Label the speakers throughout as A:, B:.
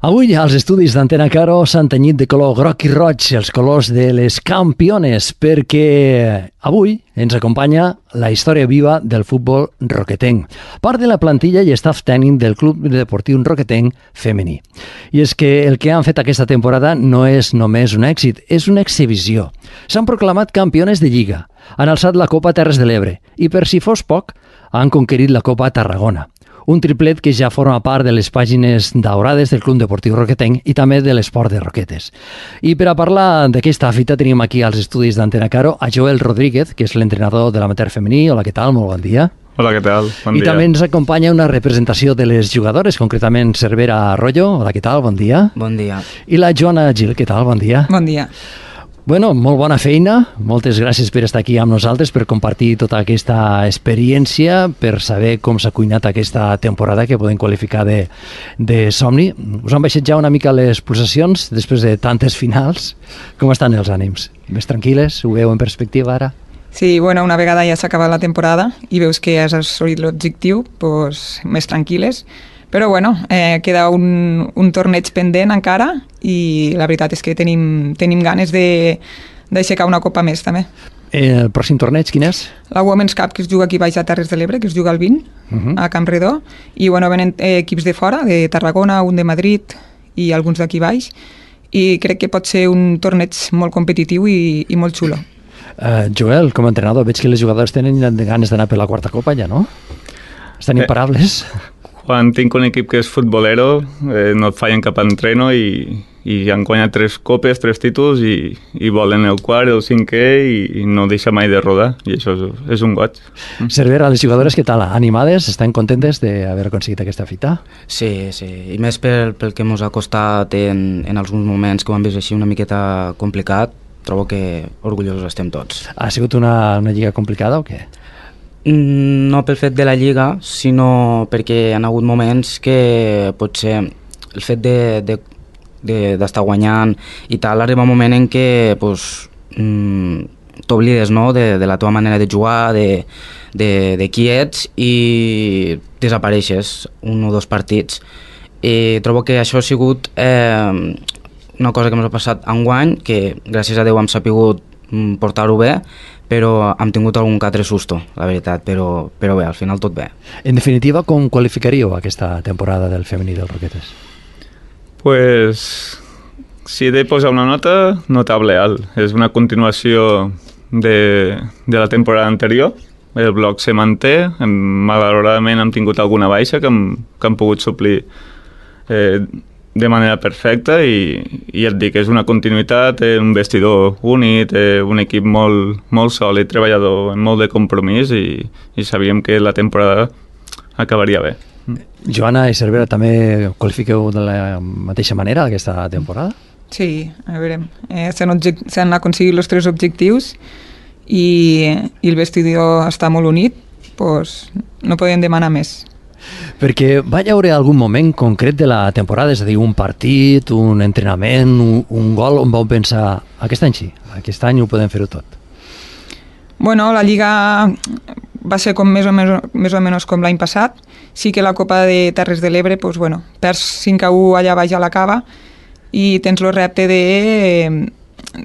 A: Avui als estudis d'Antena Caro s'han tenyit de color groc i roig els colors de les campiones perquè avui ens acompanya la història viva del futbol roquetenc, part de la plantilla i staff tècnic del Club Deportiu Roquetenc femení. I és que el que han fet aquesta temporada no és només un èxit, és una exhibició. S'han proclamat campiones de Lliga, han alçat la Copa Terres de l'Ebre i, per si fos poc, han conquerit la Copa Tarragona. Un triplet que ja forma part de les pàgines daurades del Club Deportiu Roquetenc i també de l'esport de roquetes. I per a parlar d'aquesta fita tenim aquí als estudis d'Antena Caro a Joel Rodríguez, que és l'entrenador de l'amateur femení. Hola, què tal? Molt bon dia.
B: Hola, què tal? Bon dia.
A: I també ens acompanya una representació de les jugadores, concretament Cervera Arroyo. Hola, què tal? Bon dia.
C: Bon dia.
A: I la Joana Gil, què tal? Bon dia.
D: Bon dia.
A: Bueno, molt bona feina, moltes gràcies per estar aquí amb nosaltres, per compartir tota aquesta experiència, per saber com s'ha cuinat aquesta temporada que podem qualificar de somni. Us han baixat ja una mica les pulsacions després de tantes finals? Com estan els ànims? Més tranquil·les? Ho veu en perspectiva ara?
D: Sí, bueno, una vegada ja s'ha acabat la temporada i veus que has assolit l'objectiu, doncs més tranquil·les. Però bueno, queda un torneig pendent encara i la veritat és que tenim ganes d'aixecar una copa més també.
A: El pròxim torneig quin és?
D: La Women's Cup, que es juga aquí baix a Terres de l'Ebre, que es juga el 20 a Camp Redó, i bueno, venen equips de fora, de Tarragona, un de Madrid i alguns d'aquí baix, i crec que pot ser un torneig molt competitiu i molt xulo.
A: Joel, com a entrenador, veig que les jugadores tenen ganes d'anar per la quarta copa ja, no? Estan imparables?
B: Quan tinc un equip que és futbolero, no et fallen cap entreno i han guanyat 3 copes, 3 títols i volen el quart, el cinquè i no deixa mai de rodar. I això és un goig.
A: Cervera, les jugadores, què tal? Animades? Estan contentes d'haver aconseguit aquesta fita?
C: Sí, sí. I més pel que ens ha costat en alguns moments que ho hem vist així una miqueta complicat, trobo que orgullosos estem tots.
A: Ha sigut una lliga complicada o què?
C: No pel fet de la Lliga, sinó perquè hi ha hagut moments que potser el fet d'estar guanyant i tal, arriba un moment en què t'oblides, no?, de la teva manera de jugar, de qui ets i desapareixes un o dos partits. I trobo que això ha sigut una cosa que ens ha passat enguany, que gràcies a Déu hem sapigut portar-ho bé, però hem tingut algun que altre susto, la veritat, però bé, al final tot bé.
A: En definitiva, com qualificaríeu aquesta temporada del femení del Roquetes?
B: Pues, si he de posar una nota, notable alt. És una continuació de la temporada anterior. El bloc se manté, malauradament hem tingut alguna baixa que hem pogut suplir de manera perfecta i et dic, és una continuïtat, un vestidor únic, un equip molt sòlid, treballador, amb molt de compromís i sabíem que la temporada acabaria bé.
A: Joana i Cervera, també qualifiqueu de la mateixa manera aquesta temporada?
D: Sí, a veure, s'han aconseguit els 3 objectius i el vestidor està molt unit, doncs no podem demanar més.
A: Perquè va haver algun moment concret de la temporada, és a dir, un partit, un entrenament, un gol, on vau pensar, aquest any sí, aquest any ho podem fer-ho tot?
D: Bueno, la Lliga va ser com més o menys com l'any passat. Sí que la Copa de Terres de l'Ebre, doncs, bueno, perds 5-1 allà baix a la cava i tens el repte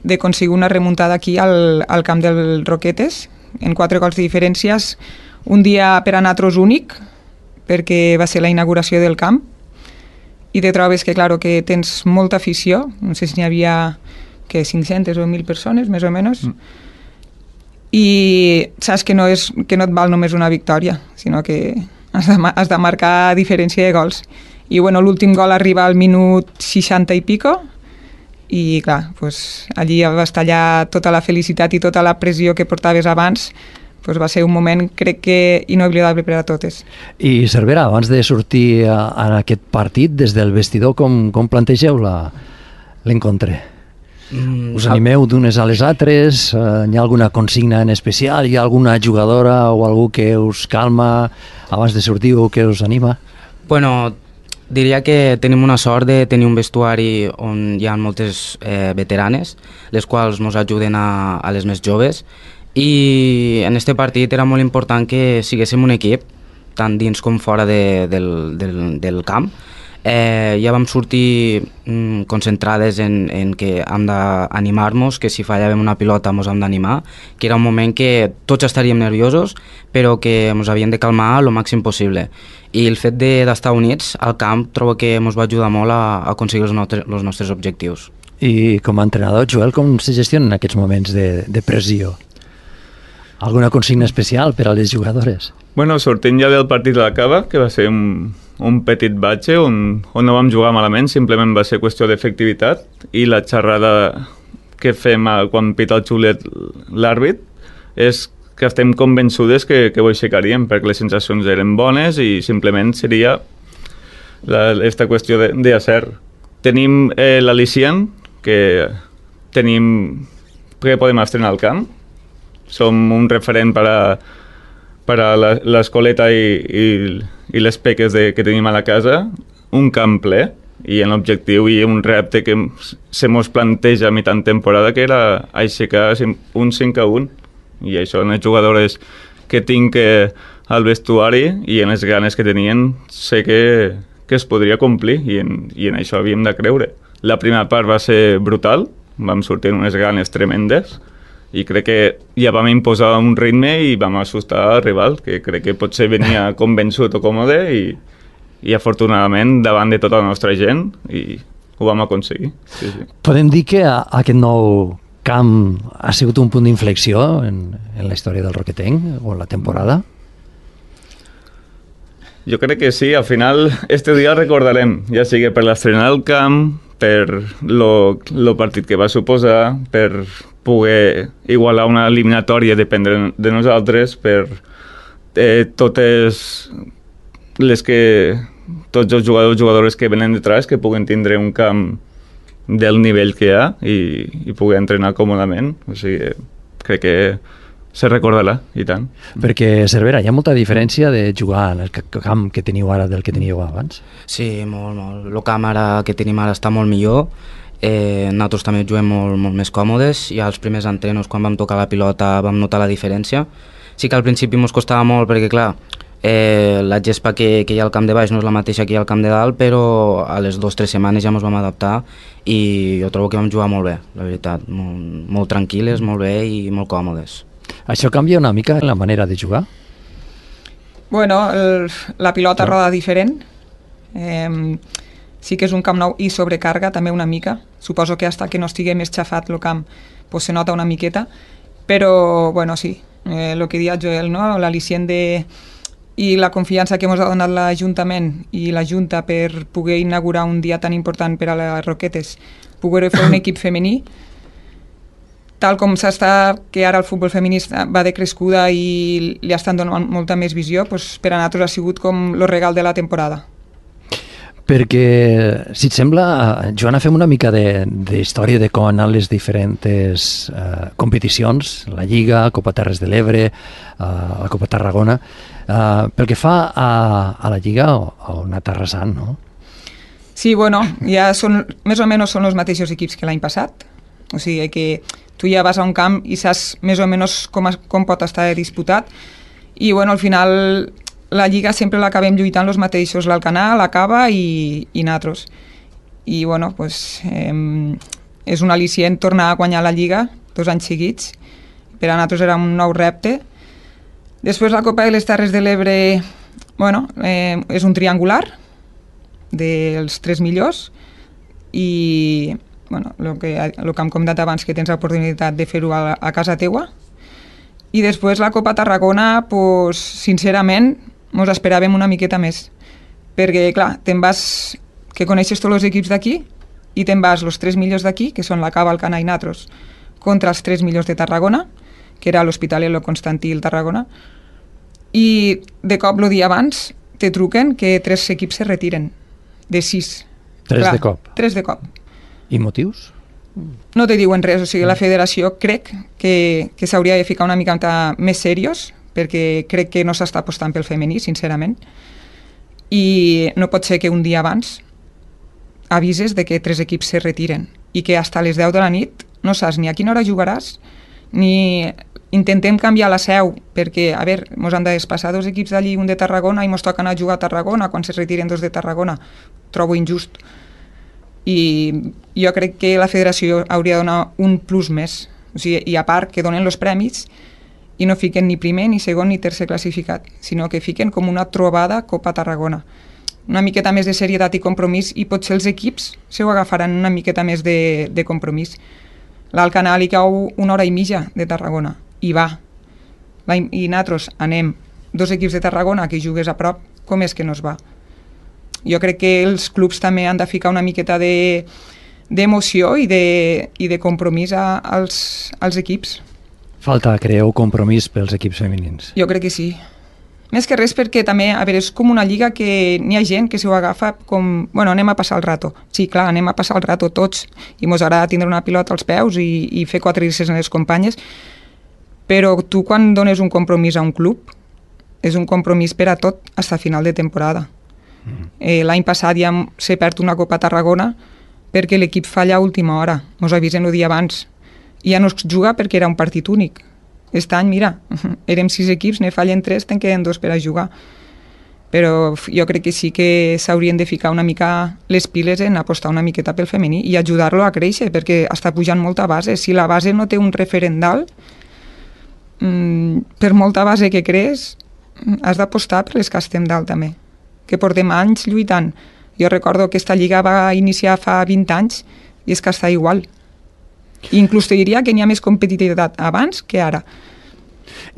D: d'aconseguir una remuntada aquí al camp del Roquetes, en 4 gols de diferències, un dia per a nosaltres únic, perquè va ser la inauguració del camp i te trobes que, claro, que tens molta afició, no sé si n'hi havia 500 o 1.000 persones, més o menys, i saps que no et val només una victòria, sinó que has de marcar diferència de gols. I bueno, l'últim gol arriba al minut 60 i pico i clar, pues, allí vas tallar tota la felicitat i tota la pressió que portaves abans. Pues va ser un moment, crec que inoblidable per a totes.
A: I Cervera, abans de sortir a aquest partit, des del vestidor, com plantegeu l'encontre? Us animeu d'unes a les altres? Hi ha alguna consigna en especial? Hi ha alguna jugadora o algú que us calma abans de sortir o que us anima?
C: Bueno, diria que tenim una sort de tenir un vestuari on hi ha moltes veteranes, les quals ens ajuden a les més joves. I en este partit era molt important que siguéssim un equip, tant dins com fora del camp, ja vam sortir concentrades en que hem d'animar-nos, que si fallàvem una pilota ens hem d'animar, que era un moment que tots estaríem nerviosos, però que ens havíem de calmar el màxim possible. I el fet d'estar units al camp trobo que ens va ajudar molt a aconseguir els nostres objectius.
A: I com a entrenador, Joel, com se gestionen aquests moments de pressió? Alguna consigna especial per a les jugadores?
B: Bueno, sortint ja del partit de la Cava, que va ser un petit batxe on no vam jugar malament, simplement va ser qüestió d'efectivitat, i la xerrada que fem quan pita el xulet l'àrbit és que estem convençudes que ho aixecaríem, perquè les sensacions eren bones i simplement seria aquesta qüestió d'acert. Tenim l'al·licient, que podem estrenar al camp, som un referent per a l'escoleta i les peques que tenim a la casa, un camp ple, i en l'objectiu i un repte que se mos planteja a mitjan temporada, que era aixecar un 5-1, i això en les jugadores que tinc al vestuari i en les ganes que tenien sé que es podria complir, i en això havíem de creure. La primera part va ser brutal, vam sortir en unes ganes tremendes, i crec que ja vam imposar un ritme i vam assustar al rival, que crec que potser venia convençut o còmode, i afortunadament davant de tota la nostra gent, i ho vam aconseguir. Sí, sí.
A: Podem dir que aquest nou camp ha sigut un punt d'inflexió en la història del Roquetenc o la temporada?
B: Jo crec que sí, al final este dia recordarem, ja sigui per l'estrena del camp, per lo partit que va suposar, per poder igualar una eliminatòria dependre de nosaltres, per tots els jugadors que venen detrás que puguen tindre un camp del nivell que hi ha i poder entrenar còmodament. O sigui, crec que se recordarà, i tant.
A: Perquè, Cervera, hi ha molta diferència de jugar en el camp que teniu ara del que teníeu abans?
C: Sí, molt. El camp que tenim ara està molt millor. Nosaltres també juguem molt més còmodes. Ja els primers entrenos, quan vam tocar la pilota, vam notar la diferència. Sí que al principi ens costava molt perquè, clar, la gespa que hi ha al camp de baix no és la mateixa que hi ha al camp de dalt, però a les 2 o 3 setmanes ja ens vam adaptar i jo trobo que vam jugar molt bé, la veritat. Molt tranquil·les, molt bé i molt còmodes.
A: Això canvia una mica la manera de jugar?
D: Bueno, la pilota roda diferent. Sí que és un camp nou i sobrecarga també una mica. Suposo que hasta que no estigui més xafat el camp pues se nota una miqueta, però bueno, sí, el que deia Joel, no? L'al·licient i la confiança que ens ha donat l'Ajuntament i la Junta per poder inaugurar un dia tan important per a les Roquetes, poder fer un equip femení, tal com s'està, que ara el futbol feminista va de crescuda i li estan donant molta més visió, doncs per a nosaltres ha sigut com el regal de la temporada.
A: Perquè, si et sembla, Joana, fem una mica d'història de com han anat les diferents competicions, la Lliga, Copa Terres de l'Ebre, la Copa Tarragona. Pel que fa a la Lliga, on ha anat arrasant, no?
D: Sí, bueno, ja més o menys són els mateixos equips que l'any passat. O sigui que tu ja vas a un camp i saps més o menys com pot estar disputat. I bueno, al final la Lliga sempre l'acabem lluitant els mateixos, l'Alcanar, la Cava i nosaltres. I bueno, pues, és un al·licient tornar a guanyar la Lliga 2 anys seguits. Per a nosaltres era un nou repte. Després la Copa de les Terres de l'Ebre, bueno, és un triangular dels 3 millors i bueno, el que hem comentat abans, que tens l'oportunitat de fer-ho a casa teua. I després la Copa Tarragona, pues, sincerament, ens esperàvem una miqueta més. Perquè, clar, te'n vas, que coneixes tots els equips d'aquí, i te'n vas els 3 millors d'aquí, que són la Cava, el Canà i Natros, contra els 3 millors de Tarragona, que era l'Hospitalet, el Constantí i el Tarragona. I de cop, el dia abans, te truquen que 3 equips se retiren, de 6.
A: 3 de cop?
D: 3 de cop.
A: I motius?
D: No te diuen res, o sigui, la federació crec que s'hauria de ficar una mica més seriós, perquè crec que no s'està apostant pel femení, sincerament, i no pot ser que un dia abans avises de que 3 equips se retiren i que fins a les 10 de la nit no saps ni a quina hora jugaràs, ni intentem canviar la seu, perquè, a veure, ens han de desplaçar 2 equips d'allí, un de Tarragona, i ens toca anar a jugar a Tarragona quan se retiren 2 de Tarragona. trobo injust. I jo crec que la federació hauria de donar un plus més, o sigui, i a part que donen els premis i no fiquen ni primer, ni segon, ni tercer classificat, sinó que fiquen com una trobada Copa Tarragona. Una miqueta més de serietat i compromís, i potser els equips se ho agafaran una miqueta més de compromís. L'Alt Canal hi cau 1 hora i mitja de Tarragona, i va. I nosaltres anem 2 equips de Tarragona que jugues a prop, com és que no es va? Jo crec que els clubs també han de ficar una miqueta d'emoció i de compromís als equips.
A: Falta, creu, compromís pels equips femenins.
D: Jo crec que sí. Més que res perquè també, a veure, és com una lliga que n'hi ha gent que s'ho agafa com, bueno, anem a passar el rato. Sí, clar, anem a passar el rato tots, i mos agrada tindre una pilota als peus i fer quadrilles en les companyes, però tu quan dones un compromís a un club, és un compromís per a tot, fins a final de temporada. L'any passat ja s'ha perdut una Copa Tarragona perquè l'equip falla a última hora, mos avisen el dia abans, i ja no es juga perquè era un partit únic. Aquest any, mira, érem 6 equips, ne fallen 3, te'n queden 2 per a jugar. Però jo crec que sí que s'haurien de ficar una mica les piles en apostar una miqueta pel femení i ajudar-lo a créixer, perquè està pujant molta base. Si la base no té un referent dalt, per molta base que crees, has d'apostar per les que estem dalt també, que portem anys lluitant. Jo recordo que aquesta lliga va iniciar fa 20 anys i és que està igual. I inclús te diria que n'hi ha més competitivitat abans que ara.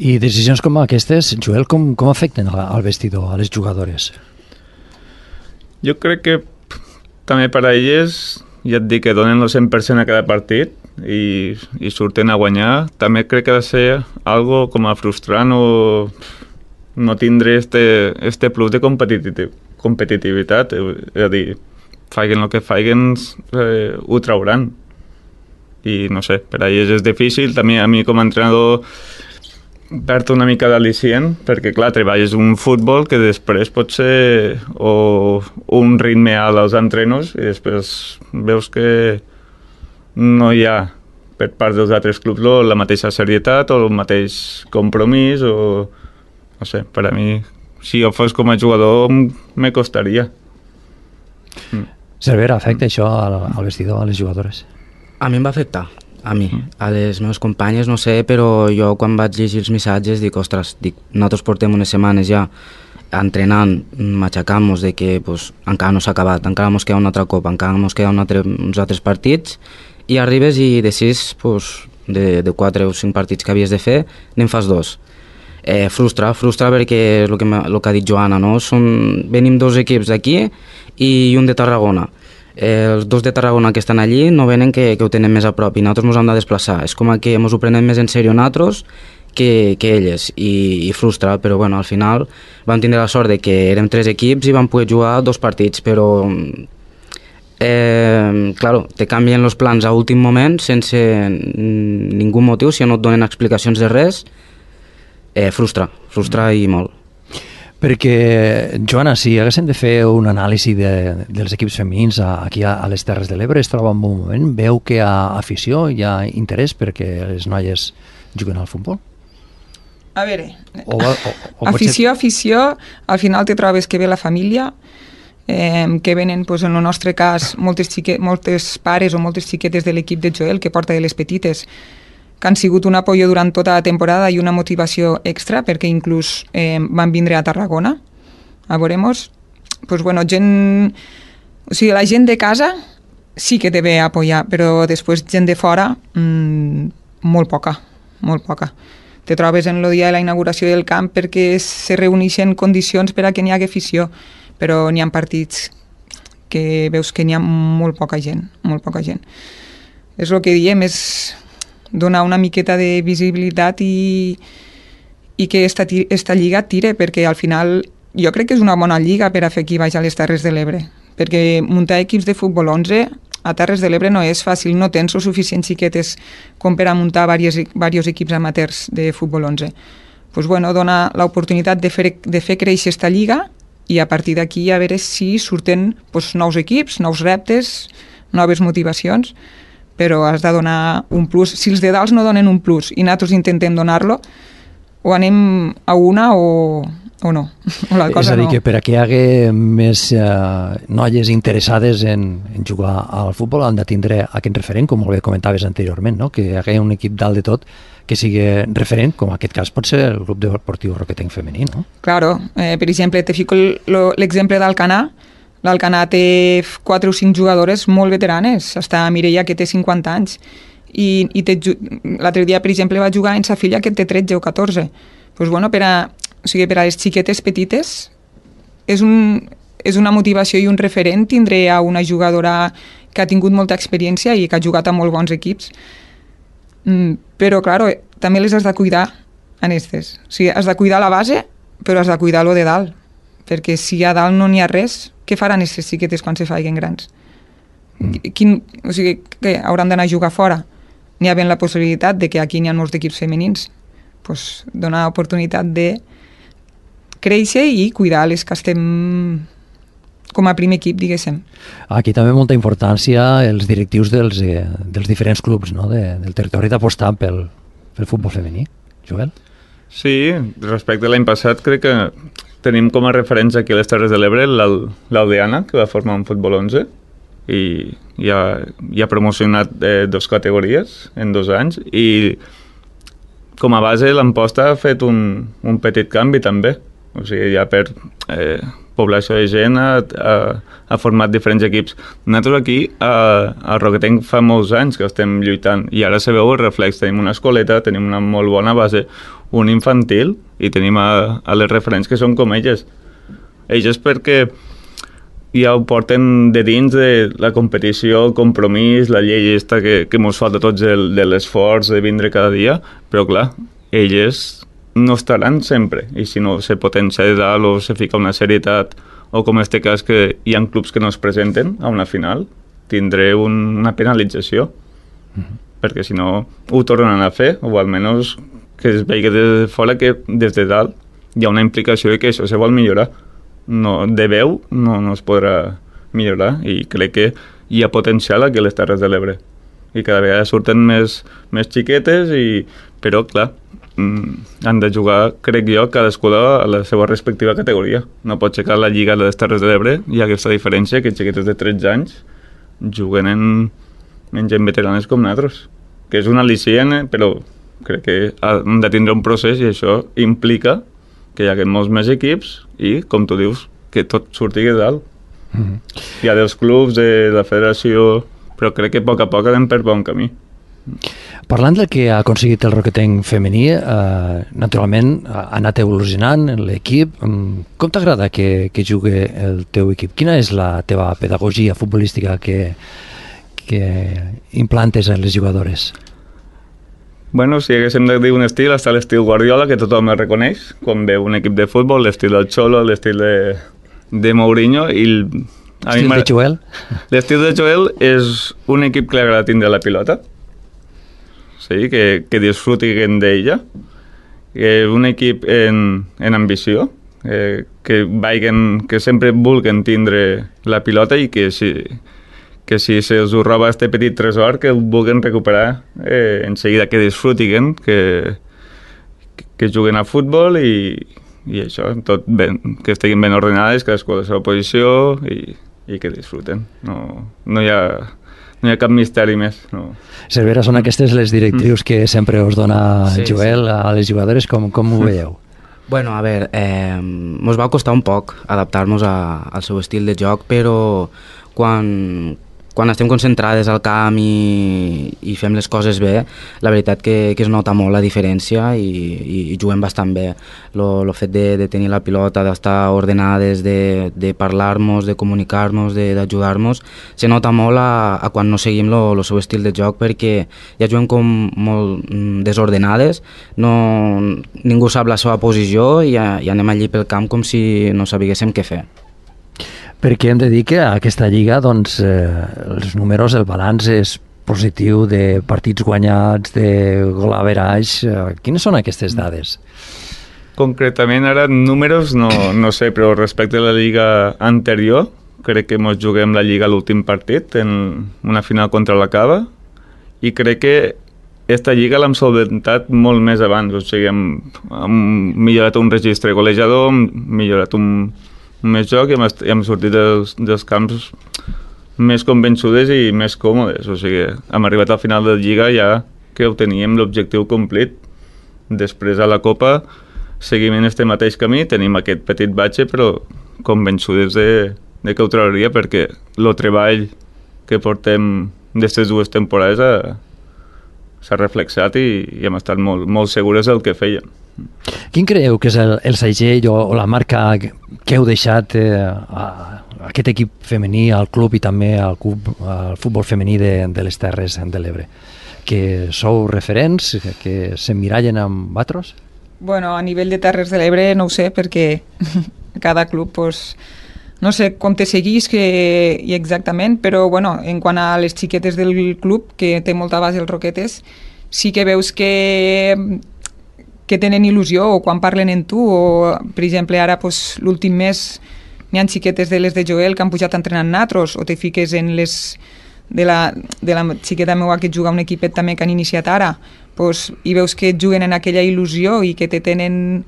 A: I decisions com aquestes, Joel, com afecten al vestidor, a les jugadores?
B: Jo crec que també per a elles, ja et dic que donen el 100% a cada partit i surten a guanyar. També crec que ha de ser algo com a frustrant o no tindre este plus de competitivitat. És a dir, faiguen el que faiguen, ho trauran. I no sé, per a ells és difícil. També a mi com a entrenador perd una mica d'al·licient, perquè clar, treballes un futbol que després pot ser o un ritme alt als entrenos i després veus que no hi ha per part dels altres clubs la mateixa serietat o el mateix compromís o no sé, per a mi si jo fos com a jugador me costaria.
A: Cervera, afecta això al vestidor, a les jugadores?
C: A mi em va afectar, a mi. A les meves companyes no sé, però jo quan vaig llegir els missatges dic, ostres, nosaltres portem unes setmanes ja entrenant, matxacant-nos de que pues, encara no s'ha acabat, encara ens queda una altra copa, encara ens queda uns altres partits, i arribes i de 6, pues, de 4 o 5 partits que havies de fer, n'en fas 2. Frustra perquè és el que ha dit Joana, no? Venim 2 equips d'aquí i un de Tarragona. Els 2 de Tarragona que estan allí no venen que ho tenen més a prop i nosaltres ens hem de desplaçar. És com que ens ho prenem més en sèrio nosaltres que elles i frustra, però bueno, al final vam tindre la sort de que érem 3 equips i vam poder jugar 2 partits, però claro, te canvien els plans a últim moment sense ningú motiu, si no et donen explicacions de res, frustra i molt.
A: Perquè, Joana, si haguéssim de fer un anàlisi dels equips femenins aquí a les Terres de l'Ebre, es troba en un moment, veu que hi ha afició, hi ha interès perquè les noies juguen al futbol?
D: A veure, afició, al final te trobes que ve la família, que venen, pues, en el nostre cas, moltes pares o moltes xiquetes de l'equip de Joel, que porta de les petites, que han sigut un apoyo durant tota la temporada i una motivació extra, perquè inclús van vindre a Tarragona a veure-nos. Pues, bueno, o sigui, la gent de casa sí que te ve a apoyar, però després gent de fora, molt poca. Te trobes en el dia de la inauguració del camp perquè se reuneixen condicions per a que n'hi hagi afició, però n'hi ha partits que veus que n'hi ha molt poca gent. És el que diem, és donar una miqueta de visibilitat i que esta lliga tire, perquè al final jo crec que és una bona lliga per a fer qui vagi a les Terres de l'Ebre, perquè muntar equips de futbol 11 a Terres de l'Ebre no és fàcil, no tens el suficient xiquetes com per a muntar diversos equips amateurs de futbol 11. Pues bueno, dona l'oportunitat de fer créixer esta lliga i a partir d'aquí a veure si surten nous equips, nous reptes, noves motivacions, però has de donar un plus. Si els de dalt no donen un plus i nosaltres intentem donar-lo, o anem a una o o no. O la
A: És
D: cosa
A: a dir,
D: no.
A: que per a que hi hagi més noies interessades en jugar al futbol han de tindre aquest referent, com molt bé comentaves anteriorment, no? Que hi hagi un equip dalt de tot que sigui referent, com en aquest cas pot ser el Club Deportiu Roquetenc femení, no?
D: Claro, per exemple, te fico l'exemple d'Alcanar. L'Alcanar té 4 o 5 jugadores molt veteranes. Està Mireia, que té 50 anys. I l'altre dia, per exemple, va jugar en sa filla, que té 13 o 14. Pues bueno, per a les xiquetes petites és una motivació i un referent tindre a una jugadora que ha tingut molta experiència i que ha jugat a molt bons equips. Però, claro, també les has de cuidar en estes. O sigui, has de cuidar la base, però has de cuidar lo de dalt. Perquè si a dalt no n'hi ha res, què faran aquestes xiquetes quan se faiguen grans? O sigui, què? Hauran d'anar a jugar fora? N'hi ha ben la possibilitat de que aquí n'hi ha molts equips femenins. Pues, donar oportunitat de créixer i cuidar les que estem com a primer equip, diguéssim.
A: Aquí també molta importància els directius dels diferents clubs, no? Del territori d'apostar pel futbol femení. Joel?
B: Sí, respecte a l'any passat crec que tenim com a referència aquí a les Terres de l'Ebre l'Aldeana, que va formar un futbol 11 i ha promocionat 2 categories en 2 anys i com a base l'Amposta ha fet un petit canvi també. O sigui, ja per població de gent ha format diferents equips. Nosaltres aquí a Roquetenc fa molts anys que estem lluitant i ara se veu el reflex. Tenim una escoleta, tenim una molt bona base, un infantil i tenim a les referents que són com elles. Elles perquè ja ho porten de dins de la competició, el compromís, la llei esta que mos falta tots de l'esforç de vindre cada dia, però clar, elles no estaran sempre i si no se potencia de dalt o se fica una serietat o com en este cas que hi ha clubs que no es presenten a una final, tindré una penalització perquè si no ho tornen a fer o almenys que es vegi des de fora que des de dalt hi ha una implicació i que això se vol millorar. No, de veu no es podrà millorar i crec que hi ha potencial aquí a les Terres de l'Ebre i cada vegada surten més xiquetes però clar, han de jugar, crec jo, cadascuna a la seva respectiva categoria. No pot ser que a la Lliga de les Terres de l'Ebre hi ha aquesta diferència que xiquetes de 13 anys juguen en gent veteranes com nosaltres, que és un al·licient, però crec que han de tindre un procés i això implica que hi hagi molts més equips i, com tu dius, que tot surti de dalt. Hi ha dels clubs, de la federació, però crec que a poc anem per bon camí.
A: Parlant del que ha aconseguit el Roquetenc femení, naturalment ha anat evolucionant l'equip. Com t'agrada que jugui el teu equip? Quina és la teva pedagogia futbolística que implantes a les jugadores?
B: Bueno, si haguéssim de dir un estil, està l'estil Guardiola, que tothom el reconeix, quan veu un equip de futbol, l'estil del Cholo, l'estil de Mourinho, i
A: l'estil de Joel?
B: L'estil de Joel és un equip que li agrada tindre la pilota, sí, que disfrutin d'ella, un equip en ambició, que sempre vulguen tindre la pilota i que si se us ho roba este petit tresor, que el vulguin recuperar en seguida, que disfrutin, que juguen a futbol i això, tot ben, que estiguin ben ordenades, cadascú a la seva posició i que disfruten. No hi ha cap misteri més. No.
A: Cervera, són aquestes les directrius que sempre us dona Joel a les jugadores, com ho veieu?
C: Bueno, a veure, mos va costar un poc adaptar-nos al seu estil de joc, però quan estem concentrades al camp i fem les coses bé, la veritat que es nota molt la diferència i juguem bastant bé. El fet de tenir la pilota, d'estar ordenades, de parlar-nos, de comunicar-nos, d'ajudar-nos, se nota molt a quan no seguim el seu estil de joc, perquè ja juguem com molt desordenades, ningú sap la seva posició i anem allí pel camp com si no sabíssim què fer.
A: Perquè hem de dir que a aquesta lliga doncs, els números, el balanç és positiu de partits guanyats, de gol average. Quines són aquestes dades?
B: Concretament ara números no sé, però respecte a la lliga anterior, crec que ens juguem la lliga a l'últim partit, en una final contra la Cava, i crec que esta lliga l'hem solventat molt més abans, o sigui, hem millorat un registre golejador, hem millorat un més joc i hem sortit dels camps més convençudes i més còmodes, o sigui, hem arribat al final de la lliga ja que ho teníem l'objectiu complit. Després a la Copa seguim en este mateix camí, tenim aquest petit batxe, però convençudes de que ho trauria perquè el treball que portem d'aquestes 2 temporades s'ha reflexat i hem estat molt segures del que fèiem.
A: Quin creieu que és el segell o la marca que heu deixat a aquest equip femení, al club i també al futbol femení de les Terres de l'Ebre? Que sou referents, que s'emmirallen amb vosaltres?
D: Bueno, a nivell de Terres de l'Ebre no ho sé, perquè cada club, pues, no sé com te seguís i exactament, però bueno, en quant a les xiquetes del club, que té molta base els Roquetes, sí que veus que tenen il·lusió o quan parlen en tu, o per exemple ara pues, l'últim mes n'hi ha xiquetes de les de Joel que han pujat a entrenar en natros, o te fiques en les de la xiqueta meua que juga a un equipet també que han iniciat ara, pues, i veus que juguen en aquella il·lusió i que te tenen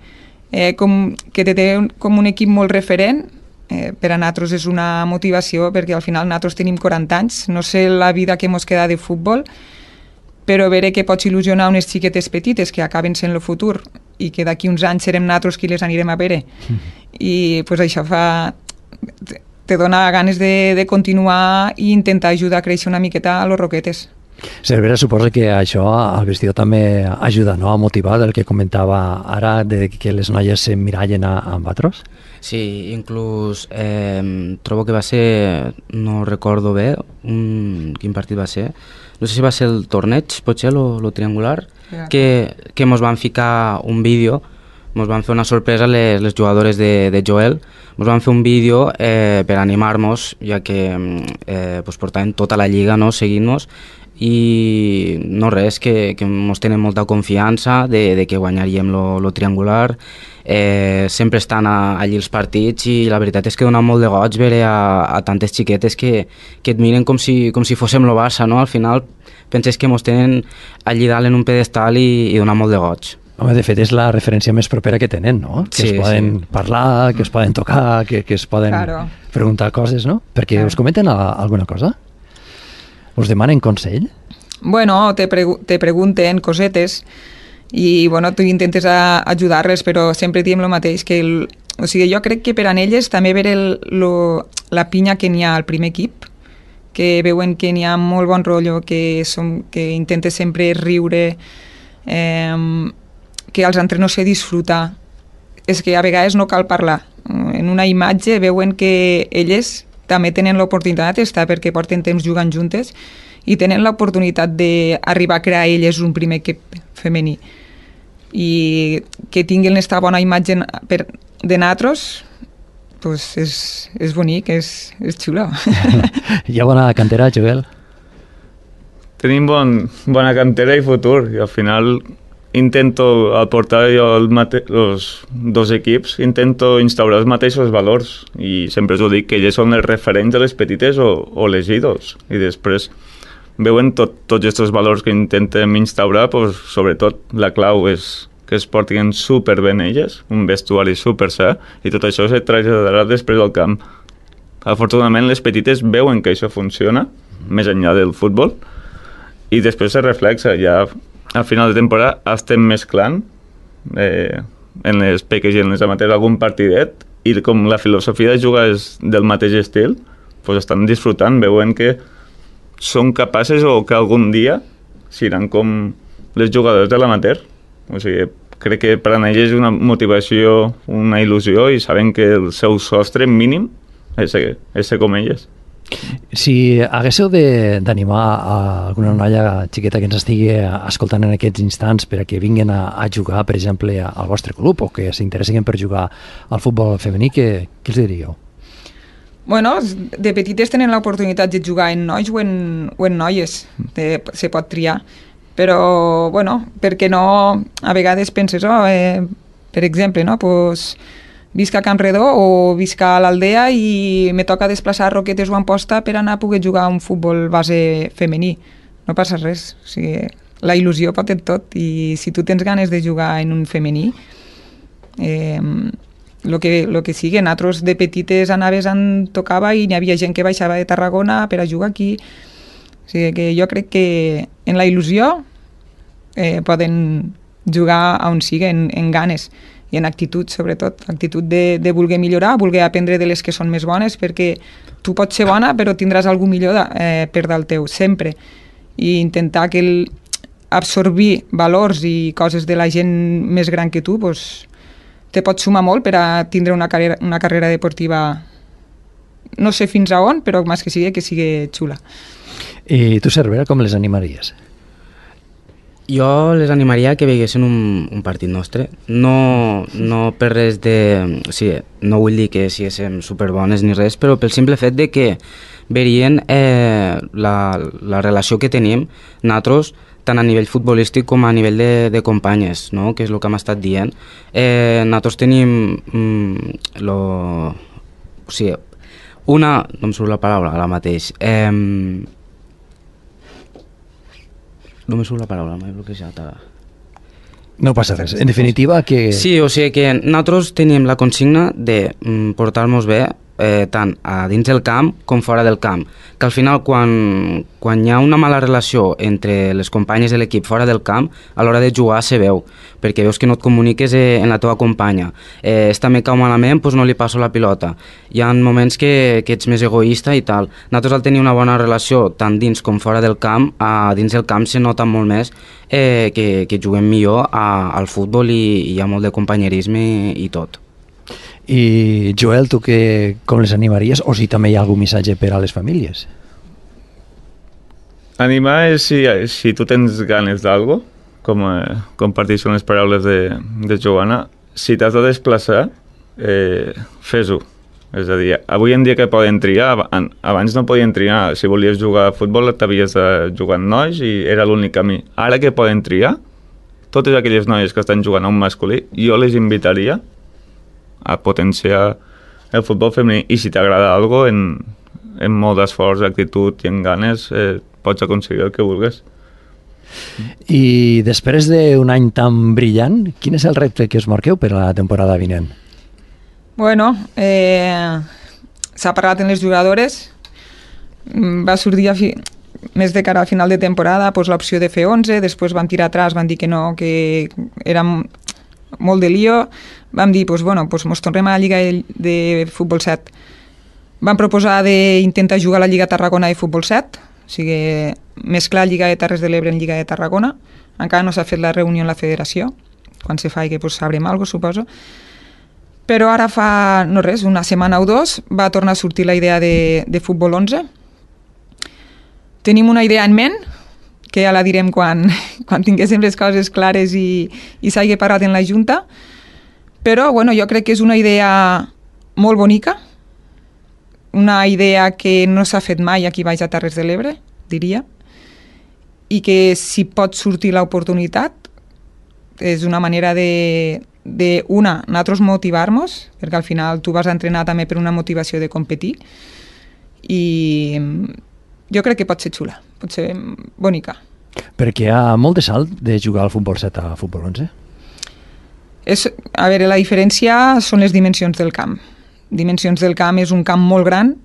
D: com un equip molt referent. Per a nosaltres és una motivació perquè al final nosaltres tenim 40 anys, no sé la vida que mos queda de futbol, però veure que pots il·lusionar unes xiquetes petites que acaben sent el futur i que d'aquí uns anys serem nosaltres qui les anirem a veure. I pues, això te dona ganes de continuar i intentar ajudar a créixer una miqueta a los Roquetes.
A: Cervera, suposa que això al vestidor també ajuda, no?, a motivar el que comentava ara de que les noies s'emmirallen amb vosaltres?
C: Sí, inclús trobo que va ser, no recordo bé quin partit va ser, no sé si va ser el torneig, potser, lo triangular, que mos van ficar un vídeo, mos van fer una sorpresa les jugadores de Joel, mos van fer un vídeo per animar-nos, ja que pues, portaven tota la lliga, no?, seguint-nos, i no res, que mos tenen molta confiança de que guanyaríem lo triangular. Sempre estan allí els partits i la veritat és que dona molt de goig veure a tantes xiquetes que et miren com si fóssim lo Barça, no? Al final penses que mos tenen allí dalt en un pedestal i dona molt de goig.
A: Home, de fet és la referència més propera que tenen, no? Que es poden parlar, que es poden tocar, que es poden preguntar coses, no? Perquè us comenten alguna cosa? Us demanen consell?
D: Bueno, te pregunten cosetes i bueno, tu intentes ajudar-les, però sempre diem el mateix, que o sigui, jo crec que per a elles també veure la pinya que n'hi ha al primer equip, que veuen que n'hi ha molt bon rotllo, que intentes sempre riure, que els entrenos se disfrutar. És que a vegades no cal parlar. En una imatge veuen que elles també tenen l'oportunitat d'estar perquè porten temps jugant juntes i tenen l'oportunitat d'arribar a crear elles un primer equip femení. I que tinguin aquesta bona imatge de nosaltres, pues és bonic, és xulo.
B: Hi ha bona cantera, Joel? Tenim bona cantera i futur, i al final intento aportar jo els 2 equips, intento instaurar els mateixos valors i sempre us ho dic que elles són els referents de les petites o les ídols i després veuen tots aquests valors que intentem instaurar, pues, sobretot la clau és que es portin superben elles, un vestuari super sa i tot això se traslladarà després al camp. Afortunadament les petites veuen que això funciona més enllà del futbol i després se reflexa ja. Al final de temporada estem mesclant en les peques i en les amateurs algun partidet i com la filosofia de jugar és del mateix estil, pues estan disfrutant, veuen que són capaces o que algun dia seran com les jugadors de l'amateur. O sigui, crec que per a elles és una motivació, una il·lusió i saben que el seu sostre mínim és ser com elles.
A: Si haguéssiu d'animar a alguna noia xiqueta que ens estigui escoltant en aquests instants per a que vinguin a jugar, per exemple, al vostre club o que s'interessin per jugar al futbol femení, què els diríeu?
D: Bueno, de petites tenen l'oportunitat de jugar en nois o en noies, se pot triar, però, bueno, perquè no, a vegades penses, per exemple, no, pues, visc a Can Redó o visc a l'Aldea i me toca desplaçar a Roquetes o Amposta per anar a poder jugar a un futbol base femení. No passa res. O sigui, la il·lusió pot tot, i si tu tens ganes de jugar en un femení, lo que sigui, nosaltres de petites anaves on tocava i n'hi havia gent que baixava de Tarragona per a jugar aquí. O sigui que jo crec que en la il·lusió poden jugar on sigui, en ganes i en actitud, sobretot, actitud de voler millorar, voler aprendre de les que són més bones, perquè tu pots ser bona però tindràs algú millor per dalt teu, sempre, i intentar absorbir valors i coses de la gent més gran que tu, doncs, te pot sumar molt per a tindre una carrera deportiva, no sé fins a on, però més que sigui xula.
A: I tu, Cervera, com les animaries?
C: Jo les animaria que veiguessin un partit nostre, no per res de... O sigui, no vull dir que siguéssim superbones ni res, però pel simple fet de que veurien la relació que tenim nosaltres, tant a nivell futbolístic com a nivell de companyes, no? Que és el que hem estat dient. Nosaltres tenim o sigui, no em surt la paraula ara mateix, no me surt la paraula, m'he bloquejat ara.
A: No passa res. En definitiva, que...
C: Sí, o sigui que nosaltres teníem la consigna de portar-nos bé tant a dins del camp com fora del camp. Que al final, quan hi ha una mala relació entre les companyes de l'equip fora del camp, a l'hora de jugar se veu, perquè veus que no et comuniques en la teva companya. Esta me cau malament, doncs no li passo la pilota. Hi ha moments que ets més egoista i tal. Nosaltres, al tenir una bona relació tant dins com fora del camp, dins del camp se nota molt més que juguem millor al futbol i hi ha molt de companyerisme i tot.
A: I Joel, tu com les animaries? O si també hi ha algun missatge per a les famílies?
B: Animar és si tu tens ganes d'algo, com comparteixen les paraules de Joana, si t'has de desplaçar, fes-ho. És a dir, avui en dia que poden triar, abans no podien triar. Si volies jugar a futbol t'havies de jugar amb nois i era l'únic camí. Ara que poden triar, totes aquelles noies que estan jugant a un masculí, jo les invitaria a potenciar el futbol femení, i si t'agrada algo, en molt d'esforç, actitud i en ganes, pots aconseguir el que vulguis.
A: I després d'un any tan brillant, quin és el repte que us marqueu per a la temporada vinent?
D: Bueno, s'ha parlat en les jugadores, va sortir més de cara al final de temporada l'opció de fer 11, després van tirar atrás, van dir que no, que era molt de lío. Vam dir, mos tornem a la Lliga de Futbol 7. Vam proposar d'intentar jugar a la Lliga Tarragona de Futbol 7, o sigui, mesclar Lliga de Terres de l'Ebre en Lliga de Tarragona. Encara no s'ha fet la reunió en la federació, quan se faci sabrem alguna cosa, suposo. Però ara fa, no res, una setmana o dos, va tornar a sortir la idea de Futbol 11. Tenim una idea en ment, que ja la direm quan tinguéssim les coses clares i s'hagi parlat en la Junta, però jo crec que és una idea molt bonica, una idea que no s'ha fet mai aquí baix a Terres de l'Ebre, diria, i que si pot sortir l'oportunitat és una manera nosaltres motivar-nos, perquè al final tu vas a entrenar també per una motivació de competir, i jo crec que pot ser xula, pot ser bonica.
A: Perquè hi ha molt de salt de jugar al futbol 7 a futbol 11?
D: A veure, la diferència són les dimensions del camp. Dimensions del camp és un camp molt gran.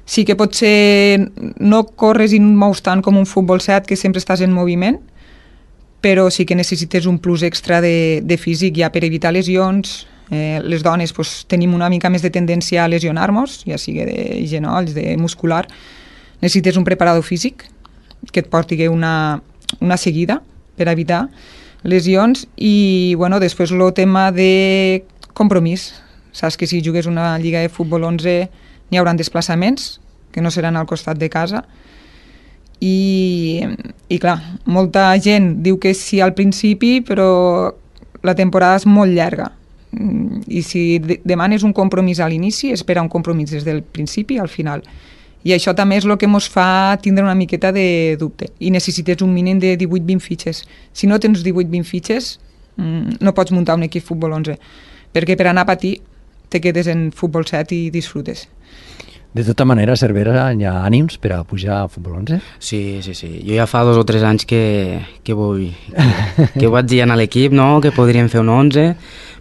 D: Sí que potser no corres i no mous tant com un futbol 7, que sempre estàs en moviment, però sí que necessites un plus extra de físic ja per evitar lesions. Les dones tenim una mica més de tendència a lesionar-nos, ja sigui de genolls, de muscular. Necessites un preparador físic que et porti una seguida per evitar lesions, i després el tema de compromís. Saps que si jugues una lliga de futbol 11 n'hi haurà desplaçaments que no seran al costat de casa, i clar, molta gent diu que sí al principi, però la temporada és molt llarga, i si demanes un compromís a l'inici, espera un compromís des del principi al final. I això també és el que ens fa tindre una miqueta de dubte. I necessites un mínim de 18-20 fitxes. Si no tens 18-20 fitxes, no pots muntar un equip futbol 11. Perquè per anar a patir te quedes en futbol 7 i disfrutes.
A: De tota manera, a Cervera hi ha ànims per a pujar a Futbol 11?
C: Sí. Jo ja fa 2 o 3 anys que vaig dir a l'equip, no?, que podríem fer un 11,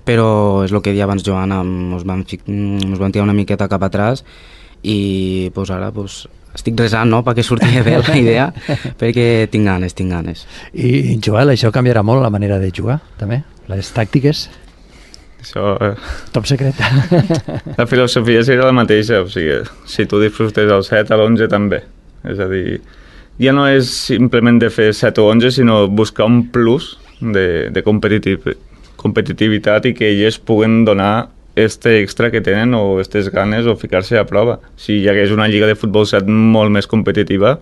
C: però és el que deia abans Joana, ens vam tirar una miqueta cap atrás i pues, ara pues, estic resant, no?, perquè surti bé la idea, perquè tinc ganes.
A: I Joel, això canviarà molt la manera de jugar, també? Les tàctiques?
B: Això...
A: Top secret.
B: La filosofia serà la mateixa, o sigui, si tu disfrutes el 7, a l'11 també. És a dir, ja no és simplement de fer 7 o 11, sinó buscar un plus de competitivitat i que ells puguen donar este extra que tenen o aquestes ganes o ficar-se a prova. Si hi hagués una lliga de futbol 7 molt més competitiva,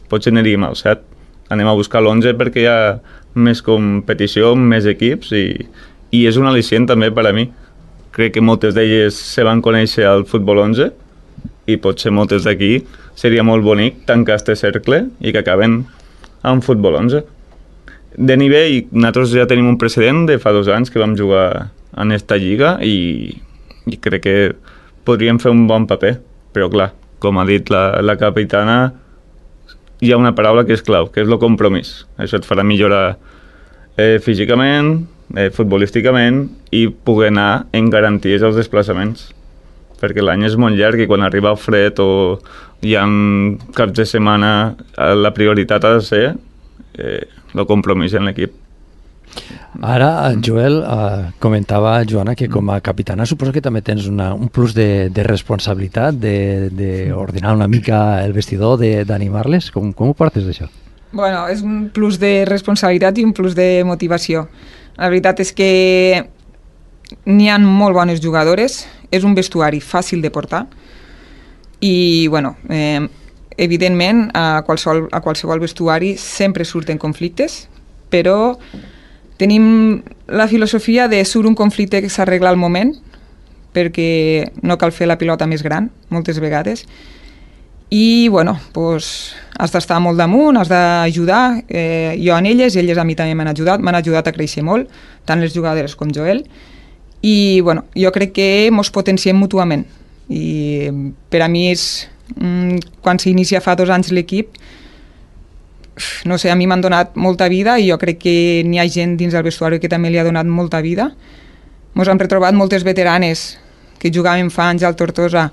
B: potser aniríem al 7. Anem a buscar l'11 perquè hi ha més competició, més equips i és un al·licient també per a mi. Crec que moltes d'elles se van conèixer al Futbol 11 i potser moltes d'aquí seria molt bonic tancar este cercle i que acaben amb Futbol 11. De nivell, nosaltres ja tenim un precedent de fa 2 anys que vam jugar en esta lliga i crec que podríem fer un bon paper, però clar, com ha dit la capitana, hi ha una paraula que és clau, que és el compromís. Això et farà millorar físicament, futbolísticament i poder anar en garanties als desplaçaments, perquè l'any és molt llarg i quan arriba el fred o hi ha caps de setmana la prioritat ha de ser el compromís en l'equip.
A: Ara, Joel, comentava Joana que com a capitana suposo que també tens un plus de responsabilitat d'ordenar una mica el vestidor, d'animar-les. Com ho portes, això?
D: Bueno, és un plus de responsabilitat i un plus de motivació. La veritat és que n'hi ha molt bones jugadores, és un vestuari fàcil de portar i, bueno, evidentment a qualsevol vestuari sempre surten conflictes, però tenim la filosofia de surt un conflicte que s'arregla al moment, perquè no cal fer la pilota més gran, moltes vegades, i bueno, pues, has d'estar molt damunt, has d'ajudar, jo en elles i elles a mi també m'han ajudat a créixer molt, tant les jugadores com Joel, i bueno, jo crec que ens potenciem mútuament i per a mi és quan s'inicia fa 2 anys l'equip, no sé, a mi m'han donat molta vida i jo crec que n'hi ha gent dins del vestuari que també li ha donat molta vida. Ens hem retrobat moltes veteranes que jugaven fa anys al Tortosa,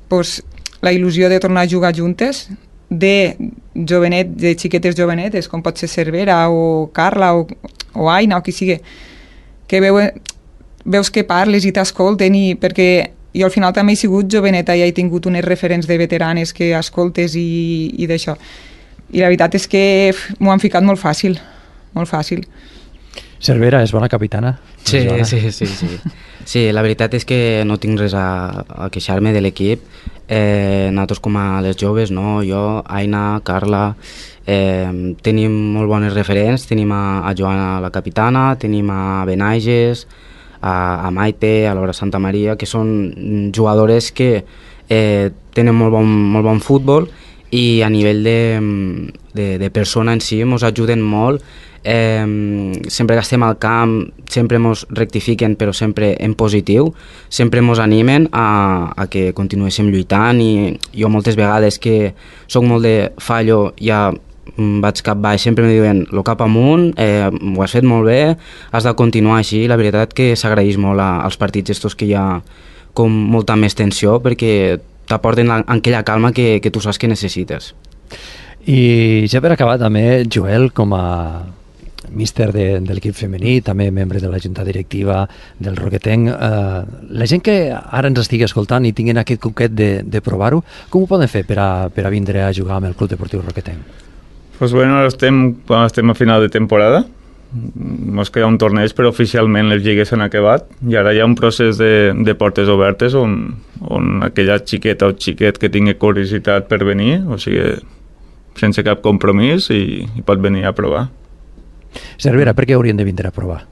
D: pues, la il·lusió de tornar a jugar juntes, de xiquetes jovenetes, com pot ser Cervera o Carla o Aina o qui sigui, que veus que parles i t'escolten, perquè jo al final també he sigut joveneta i he tingut unes referents de veteranes que escoltes i d'això. I la veritat és que m'ho han ficat molt fàcil, molt fàcil.
A: Cervera és bona capitana?
C: Sí. Sí, la veritat és que no tinc res a queixar-me de l'equip. Nosaltres com a les joves, no? Jo, Aina, Carla, tenim molt bones referents, tenim a Joana la capitana, tenim a Benaiges, a Maite, a Laura Santa Maria, que són jugadores que tenen molt bon futbol i a nivell de persona en si ens ajuden molt. Sempre que estem al camp sempre ens rectifiquen, però sempre en positiu, sempre ens animen a que continuéssim lluitant i jo moltes vegades que soc molt de fallo ja vaig cap baix, sempre em diuen lo cap amunt, ho has fet molt bé, has de continuar així. La veritat que s'agraeix molt als partits estos que hi ha com molta més tensió perquè t'aporten aquella calma que tu saps que necessites.
A: I ja per acabar també, Joel, com a míster de l'equip femení, també membre de la junta directiva del Roquetenc, la gent que ara ens estigui escoltant i tinguin aquest coquet de provar-ho, com ho poden fer per a vindre a jugar amb el Club Deportiu Roquetenc?
B: Pues bueno, ara estem a final de temporada, ens queda un torneig, però oficialment les lligues s'han acabat i ara hi ha un procés de portes obertes on aquella xiqueta o xiquet que tingui curiositat per venir, o sigui, sense cap compromís i pot venir a provar.
A: Cervera, per què haurien de vindre a provar?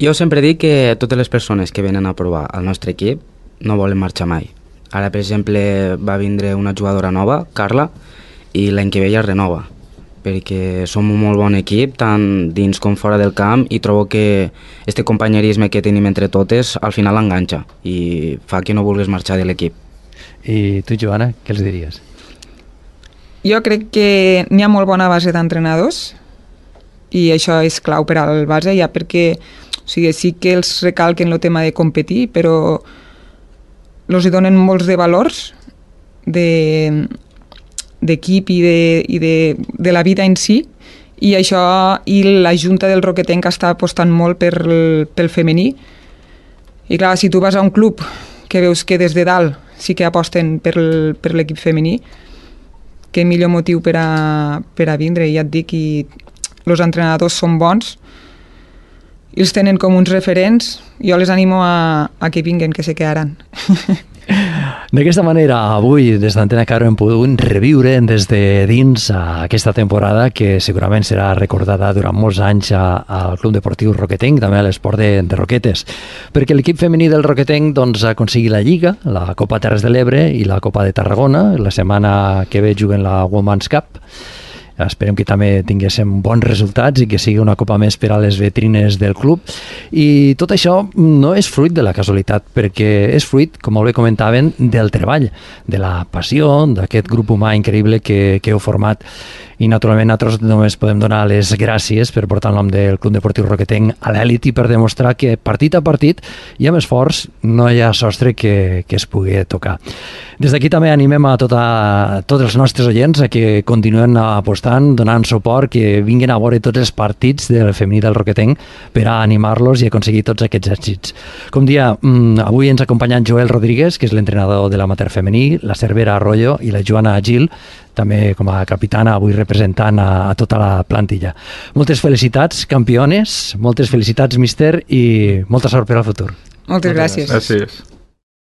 C: Jo sempre dic que totes les persones que venen a provar al nostre equip no volen marxar mai. Ara, per exemple, va vindre una jugadora nova, Carla, i l'any que ve ja es renova, perquè som un molt bon equip, tant dins com fora del camp, i trobo que este companyerisme que tenim entre totes al final enganxa i fa que no vulguis marxar de l'equip.
A: I tu, Joana, què els diries?
D: Jo crec que n'hi ha molt bona base d'entrenadors i això és clau per al base, ja perquè sí que els recalquen el tema de competir, però els hi donen molts de valors d'equip i de la vida en si, i això, i la Junta del Roquetenc està apostant molt pel femení. I clar, si tu vas a un club que veus que des de dalt sí que aposten per l'equip femení, què millor motiu per a vindre. I ja et dic, i els entrenadors són bons i els tenen com uns referents. Jo les animo a que vinguen, que se quedaran.
A: D'aquesta manera, avui des d'Antena Caro hem pogut reviure des de dins aquesta temporada que segurament serà recordada durant molts anys al Club Deportiu Roquetenc, també a l'esport de Roquetes, perquè l'equip femení del Roquetenc doncs, ha aconseguit la Lliga, la Copa Terres de l'Ebre i la Copa de Tarragona. La setmana que ve juguen la Women's Cup. Esperem que també tinguéssim bons resultats i que sigui una copa més per a les vetrines del club. I tot això no és fruit de la casualitat, perquè és fruit, com molt bé comentaven, del treball, de la passió, d'aquest grup humà increïble que heu format. I naturalment nosaltres només podem donar les gràcies per portar el nom del Club Deportiu Roquetenc a l'elit i per demostrar que partit a partit i amb esforç no hi ha sostre que es pugui tocar. Des d'aquí també animem a tots els nostres oients a que continuen apostant, donant suport, que vinguin a veure tots els partits del femení del Roquetenc per a animar-los i aconseguir tots aquests èxits. Com dia, avui ens acompanya Joel Rodríguez, que és l'entrenador de l'amateur femení, la Cervera Arroyo i la Joana Gil, també com a capitana, avui representant a tota la plantilla. Moltes felicitats, campiones, moltes felicitats, míster, i molta sort per al futur.
D: Moltes gràcies.
B: Gràcies.